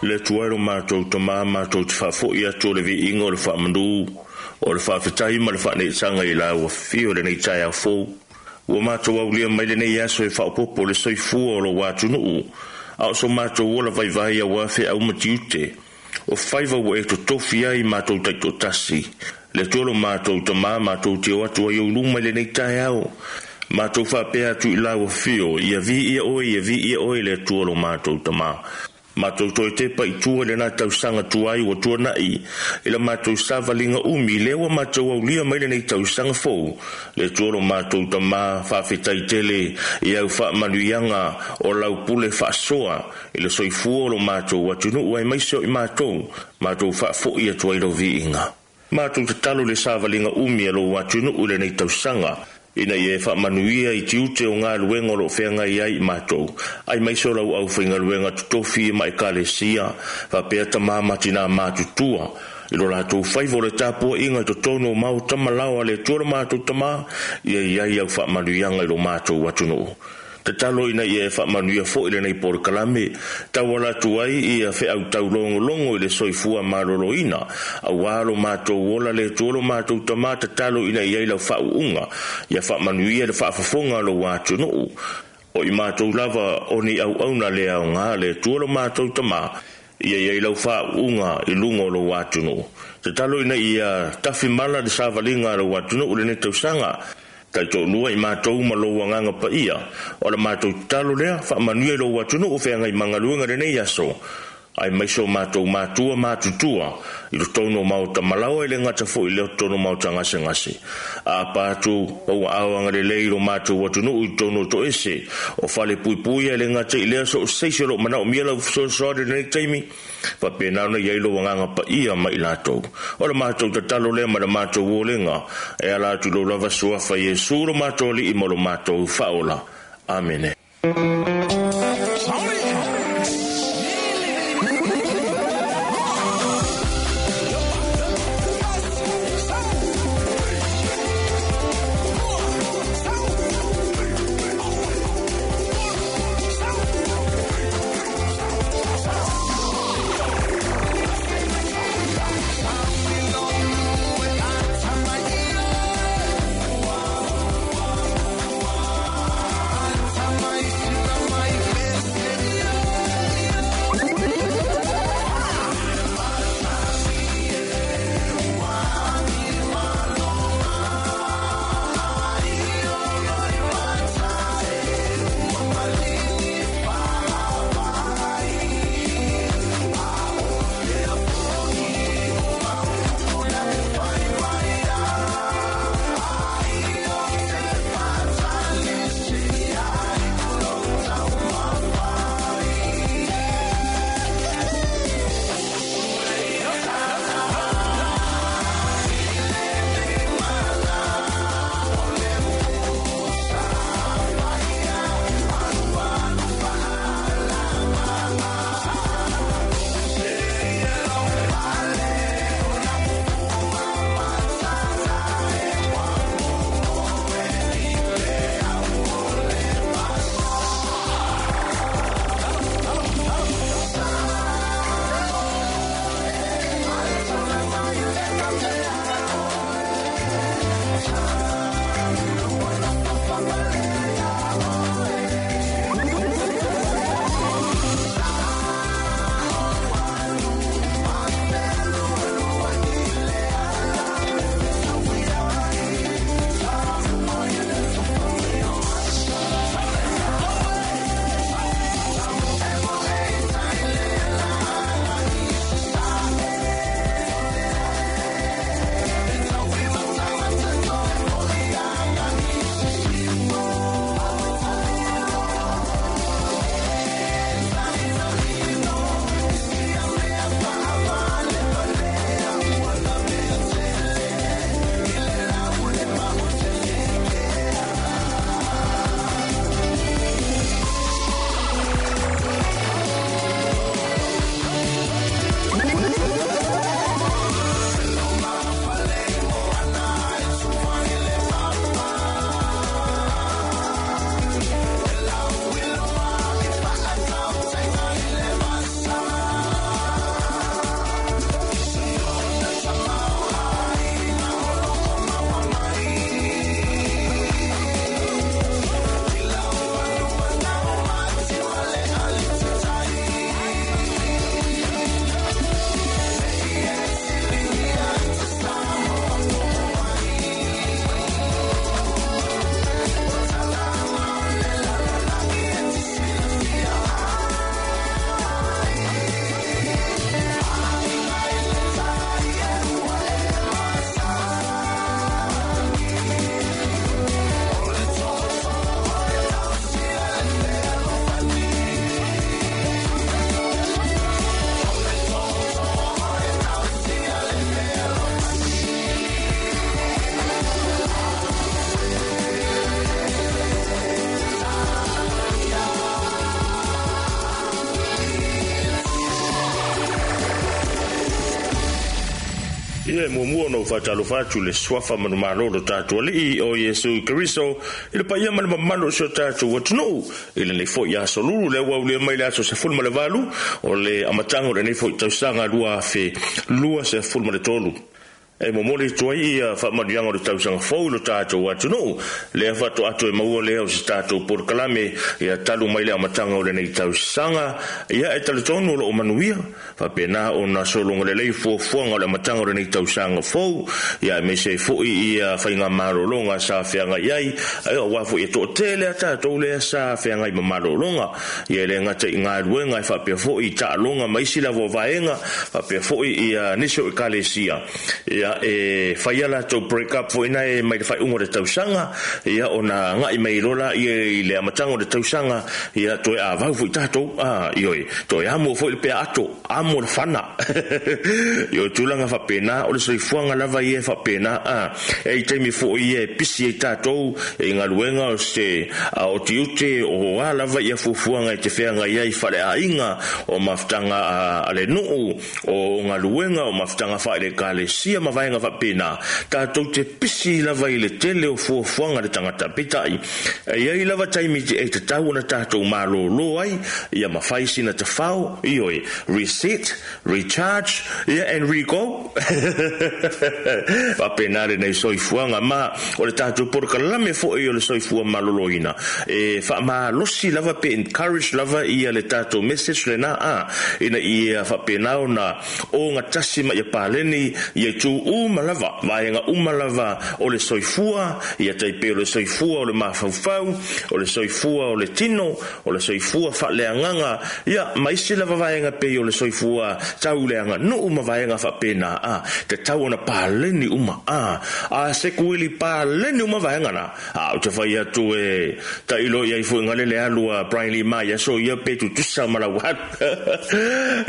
Le Atua e lo matou Tamā, matou te faafoi atu o le viiga o le faamanu o le faafetai ma le faaneetaga i lau afio i lenei taeao fou. Ua matou aulia mai lenei aso e faaopoopo le soifua o lou atunuu, a o so matou ola vaivai aua feau ma tiute o faiva ua e totofi ai matou taitoatasi. Le Atua lo matou Tamā, matou te o atu ai ou luma i lenei taeao, matou faapea atu i lau afio, ia viia oe, ia viia oe le Atua lo matou Tamā. Matou toe tepa i tua i lena tausaga tuai ua tuanai i la matou savaliga umi, lea ua matou aulia mai lenei tausaga fou. Le Atua lo matou Tamā, faafetai tele i au faamanuiaga o lau pule faasoa i le soifua o lo matou atunuu aemaise o i matou, matou faafoi atu ai lau viiga. Matou tatalo i le savaliga umi a lou atunuu i lenei tausaga, ina ia e faamanuia i tiute o galuega o loo feagai ai i matou, aemaise o lau aufaigaluega totofi ma ekalesia, faapea tamā ma tinā matutua i lo latou faiva o le tapuaiga i totonu o maota ma laoa. Le Atua lo matou Tamā, ia i ai au faamanuiaga i lo matou atunuu. Tatalo ina ia e faamanuia foi lenei polokalame, tauala atu ai ia feau taulogologo i le soifua maloloina auā lo matou ola. Le Atua lo matou Tamā, tatalo ina ia i lau faauuga, ia faamanuia le faafofoga a lou atunuu, o i matou lava o ni auauna le aoga. Le Atua lo matou Tamā, ia i ai lau faauuga i luga o lou atunuu. Tatalo ina ia tafimala le savaliga a lou atunuu lenei tausaga, taitoalua i matou ma lou agaga paia. O le matou tatalo lea, faamanuia i lou atunuu feagai ma galuega lenei aso, aemaise o matou matua matutua i totonu o maota malaoa, i le gata foi lea o totonu o maota gasegase. A atu ua ao agalelei i lo matou atunuu i totonu o toese o fale puipuia, i le gata i lea so o seisi o loo manaomia lau fesoasoani i lenei taimi, faapena ona i ai lou agaga paia ma i latou. O le matou tatalo lea ma le matou olega e ala atu i lou lava suafa Iesu lo matou Alii ma lo matou Faaola. Amene. Ia e muamua ona ou faatalofa atu i le suafa manumalo o lo tatou Alii o Iesu Keriso i le paia ma le mamalu o si o tatou atunuu i lenei foi aso lulu lea ua aulia mai le aso 18 o le amataga o lenei foi tausaga 2023. E momoli atu ai ia faamanuiaga o le tausaga fou i lo tatou atunuu lea faatoa toe maua lea o se tatou polokalame ia talu mai le amataga o lenei tausaga. Ia e talitonu o loo manuia faapena ona sologa lelei fuafuaga o le amataga o lenei tausaga fou, ia aemaise ai foi ia faigamalologa sa feagai ai, aua foi e toatele a tatou lea sa feagai ma malologa, ia e le gata i galuega e faapea foi i taaloga ma isi lava o vaega, faapea foi ia nisi o ekalesia ia e faia latou break up foi na e mai le faaiuga o le tausaga, ia ona agai mai loa ia i le amataga o le tausaga, ia toe avau foi tatou, ioe, toe amo foi le pea ato, amo le fana. Ioe, tulaga faapena o le soifuaga lava ia e faapena, e i taimi foi ia e pisi ai tatou e i galuega o se o tiute o a lava ia fuafuaga e te feagai ai faleaiga o mafutaga a le nuu o galuega o mafutaga faale-ekalesia ma vaega faapena, tatou te pisi lava i le tele o fuafuaga le tagata. Peitai, e i ai lava taimi e tatau ona tatou malōlō ai, ia ma fai sina tafao, ioe, reset, recharge, ia and re-go. Faapena lenei soifuaga ma o le tatou polokalame foi o le soifua maloloina e faamalosi lava pe encourage lava ia le tatou message lena ina ia faapena ona ogatasi ma ia paleni ia itu uma lava, vaega uma lava o le soifua, ia tai pei o le soifua o le mafaufau, o le soifua o le tino, o le soifua faaleagaga, ia ma isi lava vaega pei o le soifua tauleaganuu ma vaega faapena, tatau ona paleni uma, a sekuili paleni uma vaega na. Ou te fai atu e tailo i ai foi ngale le alu a Brian Lee Mai aso ia pe tutusa ma lau alu.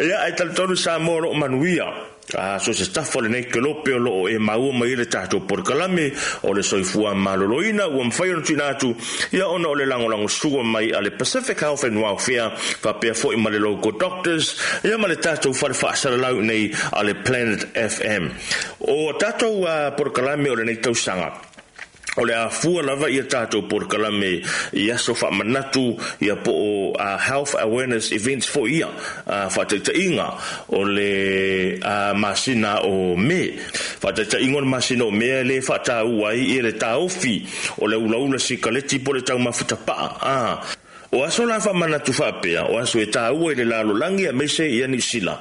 Ia ai talitonu Samoa o loo manuia. So se tafa o lenei kelope o loo e maua mai le tatou polokalame o le soifua maloloina ua mafai ona tuuina atu ia ona o le lagolagosua mai a le Pacific Health and Welfare faapea foi ma le Local Doctors ia ma le tatou fale faasalalau nei a le Planet FM. O tatou polokalame o lenei tausaga o le afua lava ia tatou polokalame i aso faamanatu ia po o health awareness events foi ia faataitaiga o le masina o Me. Faataitaiga o le masina o Me le faataua ai ia le taofi o le ulaula sikaleti po o le taumafa tapaa. O aso la faamanatu faapea, o aso e taua i le lalolagi aemaise ia Niu Sila.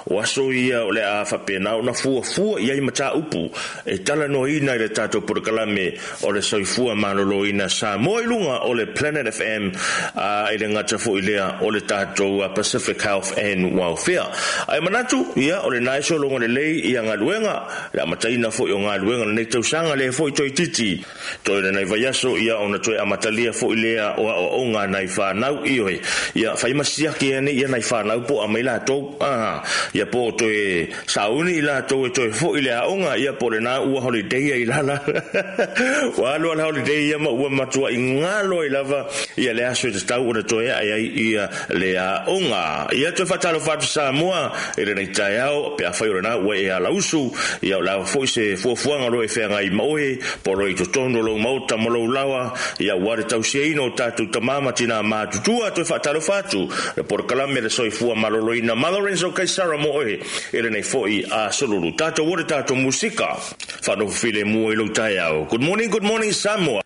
O aso ia o le a faapena ona fuafua i ai mataupu e talanoaina i le tatou polokalame o le soifua maloloina Samoa i luga o le Planet FM, i le gata foi lea o le tatou Pacific Health and Welfare. Ae manatu, ia o lena e sologa lelei ia galuega, le amataina foi o galuega o lenei tausaga lea foi toeitiiti. Toe lenei vaiaso ia ona toe amatalia foi lea o aoaoga nai whanau ioe. Ia whai masiaki ane ia nai whanau po a mai latou. Ia po toe sauni i latou e toe foi le aoga ia po le nā ua holiday ai lala. Ua alu ala holiday ia ma ua matua i ngalo ai lava ia le aso e tatau ona toe ae ai ia le aoga. Ia toe faatalofa atu Samoa i lenei taeao pe afai o lena ua e alausu ia o le a foi se fuafuaga o lo e feagai ma oe po o lo i totonu o lou maota ma lou lawa ia ua le tausiaina o tatou tama ma tina matutua. Toe faatalofa atu le polokalame le soifua maloloina ma Lorenzo Kaisara mo oe i lenei foi aso lulu. Tatou o le tatou musika faanofo filemu i lou taeao. Good morning, good morning Samoa.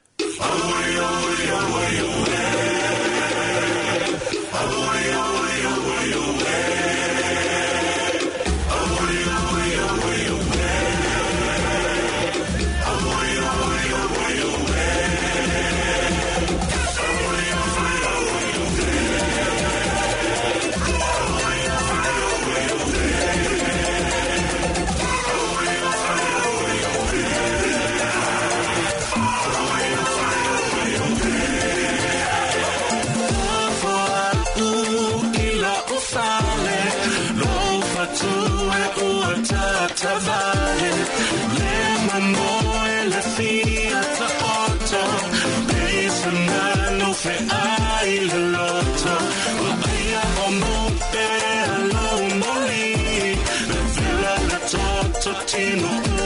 Tino.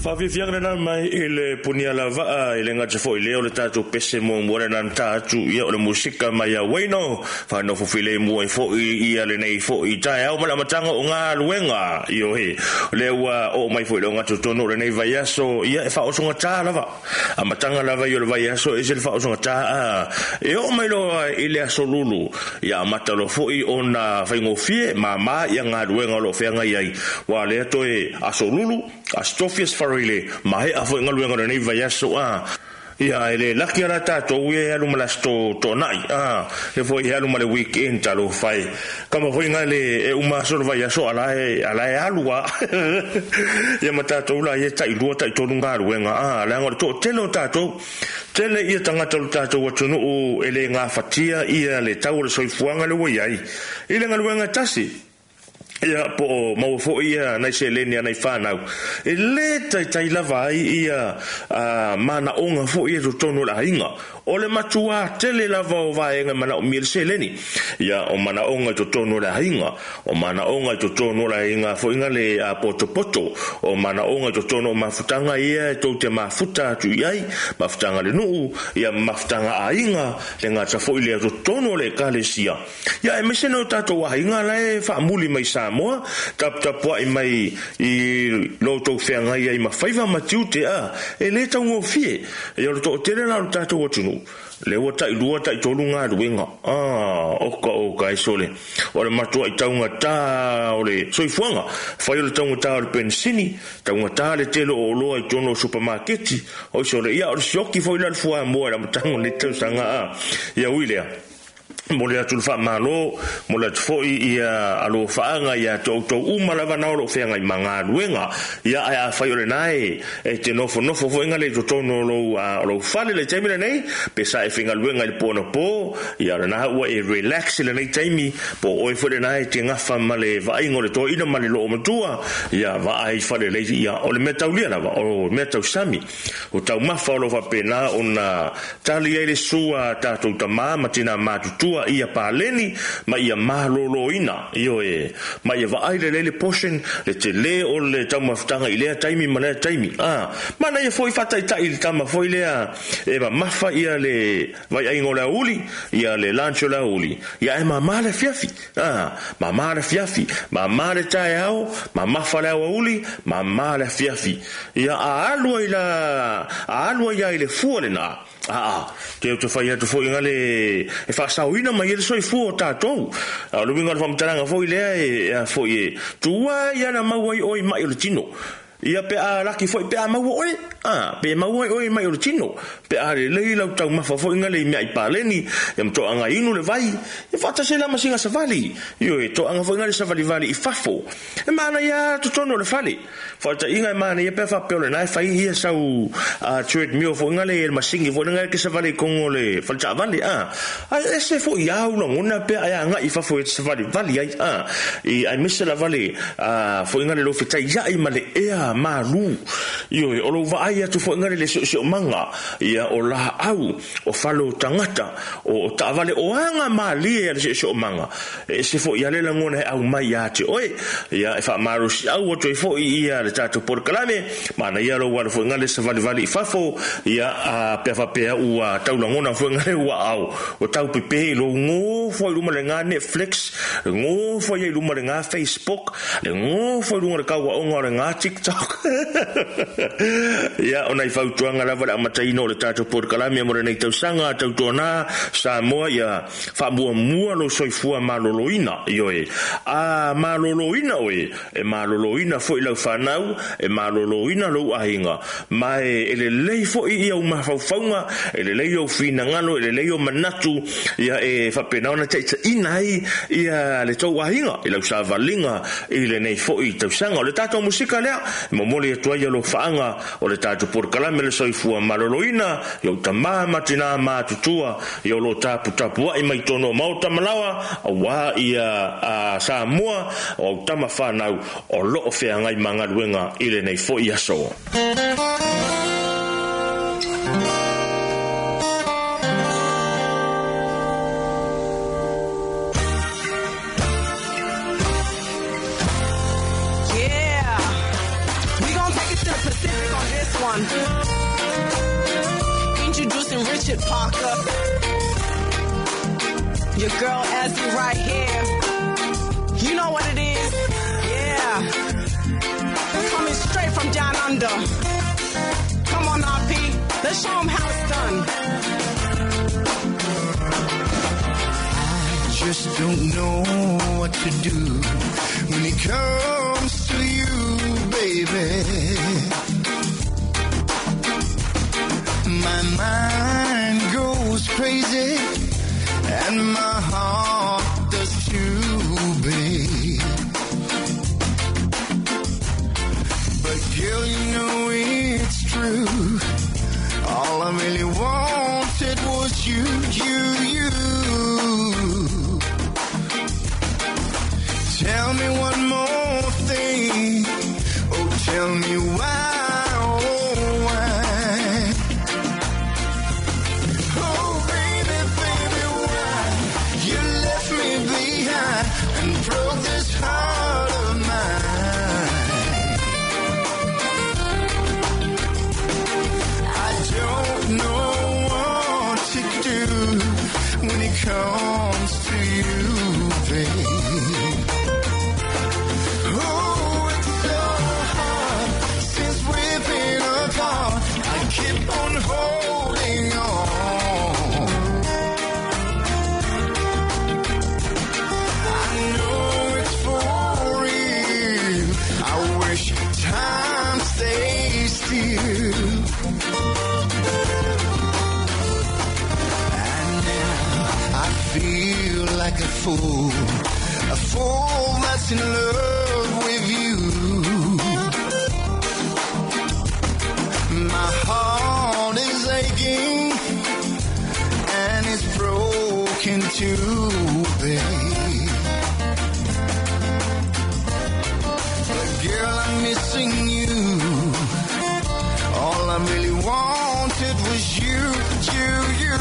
Faafiafiaga lena mai i le punia lavaa i le gata foʻi lea o le tatou pese muamua lena na ta atu ia o le musika mai auaino faanofofilemu ai foʻi ia lenei foʻi taeao ma le amataga o galuega ioe o lea ua oo mai foʻi le ogatotonu o lenei vaiaso ia e faaosogatā lava amataga lava i o le vaiaso e se le faaosogatā a e oo mai loa i le aso lulu ia amata loa foʻi ona faigofie māmā ia galuega o loo feagai ai ua lea toe aso lulu aso tofi aso farile mahe'a foʻi galuega o lenei vaiaso a. Ia, e le laki ala tātou e alu ma lasto to'ana'i a le foi e alu ma le weekend talofa e kama foi ga le e uma aso le vaiaso ala e ala e alu a ia ma tātou la ia ta'ilua ta'itolu galuega a leaga o le to'atele o tātou tele ia tagata o le tatou atunu'u e lē gafatia ia le tau o le soifuaga le ua iai i le galuega e tasi. Ia po o maua foi ia nai seleni a nai fanau e lē taitai lava ai ia manaʻoga foi ia totonu o le aiga. O le matuā tele lava o vaega e manaʻomia le seleni. Ia o manaʻoga i totonu o le aiga, o manaʻoga i totonu o le aiga foi ga le potopoto, o manaʻoga i totonu o mafutaga ia e tou te mafuta atu i ai, mafutaga le nuu, ia mafutaga aiga, le gata foi lea totonu o le ekalesia. Ia aemaise nai o tatou aiga la e faamuli mai Samoa, taputapua'i mai i lo outou feagai ai ma faiva ma tiute a e lē taugofie. Ia o le to'atele la o le tatou atunuu lea ua ta'ilua ta'itolu galuega a oka oka e sole o le matua'i taugatā o le soifuaga fai o le taugatā o le penisini taugatā le tele o oloa i totonu o supamaketi oi sole ia o le sioki foi la le fuamoa i le amataga o lenei tausaga a ia ui lea momoli atu le faamālō, momoli atu foi ia alofaaga iā te outou uma lava na o loo feagai ma galuega. Ia ae afai o lenā e e te nofonofo foi ga le i totonu o lou o lou fale i le taimi lenei, pe sa e faigaluega i le po anapo, ia o lenā ua e relax i lenei taimi, po o oe foi lenā e te gafa ma le vaaiga o le toeaina ma le loomatua, ia vaai falelei ia o le mea taulia lava o mea tausami. O taumafa o lo o faapena ona tali ai le sua a tatou tamā ma tinā matutua ia paleni ma ia malōlōina, ioe, ma ia vaai lelei le portion, le telē o le taumafataga i lea taimi ma lea taimi. A, manaia foi faataitai i le tama foi lea e mamafa ia le vaiaiga o le aoauli, ia le lunch o le aoauli, ia ae māmā le afiafi. A, māmā le afiafi, māmā le taeao, mamafa le aoauli, māmā le afiafi. Ia a alu ai la, a alu ai lava i le fua lenā, aa, te ou te fai atu foi ga le e faasaoina mai ai le soifua o tatou. A o le uiga o le faamatalaga foi lea e, a foi e tuai lava na maua ai oe i ma'i o le tino. Ia pe a laki foi pe a maua oe, a, pe maua ai oe i ma'i o le tino. Pe a lelei lau taumafa foi ga le i meaai paleni, ia ma toaga inu le vai, ia faatasi ai la ma siga savali. Ioe, toaga foi ga le savalivali i fafo. E manaia lava totonu o le fale. Faataitaiga e manaia pe a faapea o lena e fai ia sau treadmill foi lena le masini foi lena e te savali i totonu o le fale taavale a. Ae ese foi lava ou lagona pe a e agai i fafo e te savalivali ai a. I aemaise lava le foi lena le lou fetaiai ma le ea malu. Ioe, o lou vaai atu foi lena le siosiomaga ia o laau, o fale o tagata, o taavale, o aga malie a le siosiomaga. E ese foi lava le lagona e aumai ia te oe. Ia, e faamalosiau atu ai foi ia le tatou polokalame, manaia lou alu foi gale savalivali i fafo, ia, a, pe a faapea ua tau lagona foi gale ua ao, ua tau pepe i lou gofo ai luma le ga Netflix, le gofo ai luma le ga Facebook, le gofo ai luga o le kauaoga o le ga TikTok. Ia, o nai fautuaga lava le amataina o le tatou polokalame mo lenei tausaga, tautuana Samoa, ia Faamuamua lou soifua maloloina, ioe. A maloloina oe, e maloloina foi lau fanau, e maloloina lou aiga. Ma e lelei foi i ou mafaufauga, e lelei ou finagalo, e lelei ou manatu, ia e faapena ona taitaiina ai ia le tou aiga i lau savaliga i lenei foi tausaga. O le tatou musika lea e momoli atu ai alofaaga o le tatou polokalame o le soifua maloloina i ou tama ma tinā matutua, ia o lo o taputapua'i mai totonu o maota ma laoa, auā ia a Samoa, o au tama fanau o lo o feagai ma galuega i lenei foi aso. Yeah, we gon' take it to the Pacific on this one. Introducing Richard Parker. Your girl Azzy right here. You know what it is? Yeah. Coming straight from down under. Come on, RP. Let's show 'em how it's done. I just don't know what to do when it comes to you, baby. My Girl, you know it's true. All I really wanted was you, you, you. Tell me one more thing. Oh, tell me why, oh, why? Oh, baby, baby, why you left me behind and broke this heart of mine? I don't know what to do when it comes to you, babe. Oh, it's so hard since we've been apart. I keep on holding on. I know it's for real. I wish time stays still. And now I feel like a fool that's in love with you. My heart is aching and it's broken too, babe. But girl, I'm missing you. All I really wanted was you, you, you.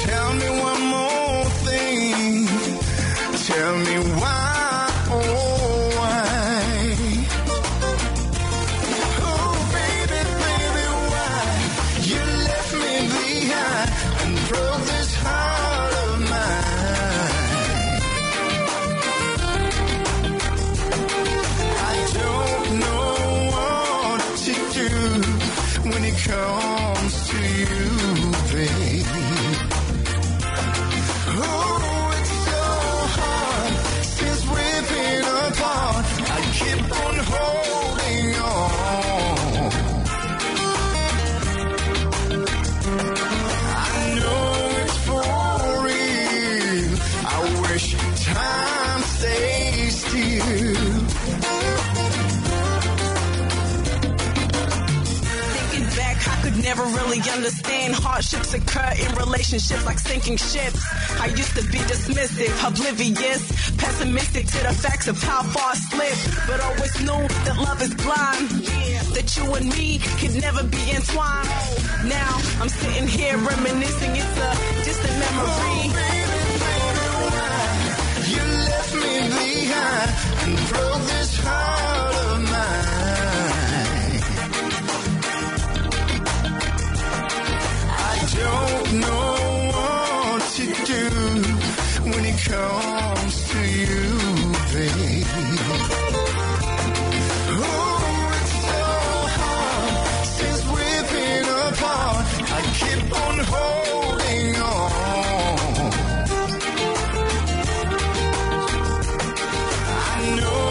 Tell me one more thing. Tell me why, oh why? Oh, baby, baby, why you left me behind and broke this heart of mine? I don't know what to do when it comes to you, babe. Oh, it's so hard since we've been apart. I keep on holding on. I know it's for real. I wish time stays still. Thinking back, I could never really understand hardships occur in relationships like sinking ships. I used to be dismissive, oblivious, pessimistic to the facts of how far I slipped, but always knew that love is blind, that you and me could never be entwined. Now I'm sitting here reminiscing, it's a distant memory. Oh, baby, baby, why you left me behind and broke this heart of mine? I don't know what to do when it comes to you, babe. Oh, it's so hard since we've been apart. I keep on holding on. I know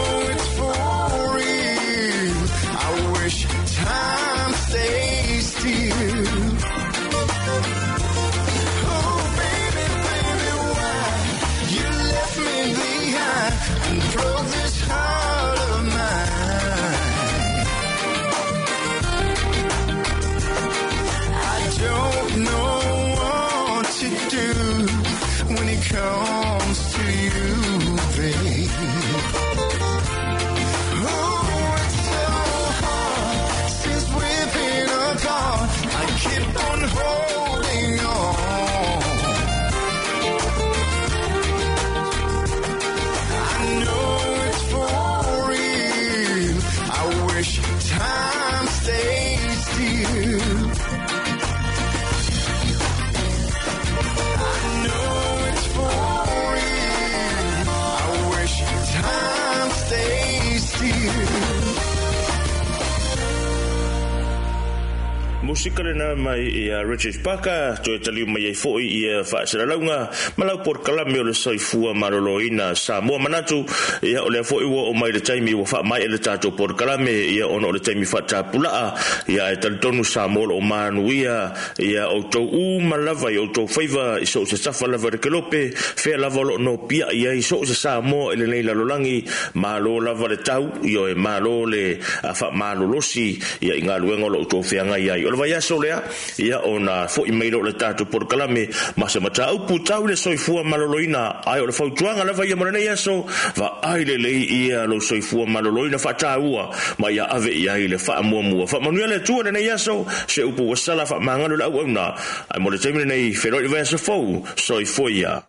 Musika lena mai ia Richard Parker toe taliu mai ai fo'i ia faasalalauga ma lau polokalame o le soifua maloloina Samoa. Manatu ia o lea fo'i ua oo mai le taimi ua faamaea le tatou polokalame ia ona o le taimi faatapulaa ia ae talitonu Samoa o loo manuia ia outou uma lava i outou faiva i so o se tafa lava i le kelope fea lava o loo nopiai ai so o se Samoa i lenei lalolagi. Malo lava le tau ioe, malo le faamalolosi ia i galuega o lo outou feagai ai. O le vaiaso lea ia ona fo'i mai lea o le tatou polokalame ma se mataupu tau i le soifua maloloina, ae o le fautuaga lava ia mo lenei aso, vaai lelei ia lou soifua maloloina, faataua ma ia ave i ai le faamuamua. Faamanuia le Atua lenei aso, se upu ua sala faamagalo le auauna, ae mo le taimi lenei, feiloai le vaiaso fou. Soifua ia.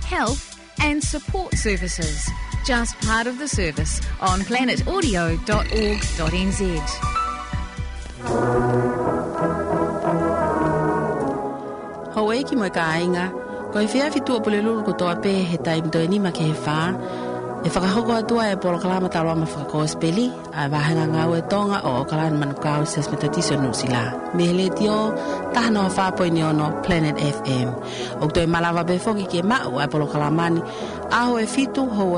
Health and support services. Just part of the service on planetaudio.org.nz. Hou e ki mo ka ainga, ko e whia fitu o pule lulu ko toa pe he taim toe nima ke he whā, e whakahoko atua e polokalama taloa ma whakakospeli, a wahenga ngau e tonga o Okalani Manukau ses metatiso Nusila. Me hele tio, taha noa whāpoi ni ono Planet FM. O toe malawa be foki ke mau a polokalamani, aho e fitu hou e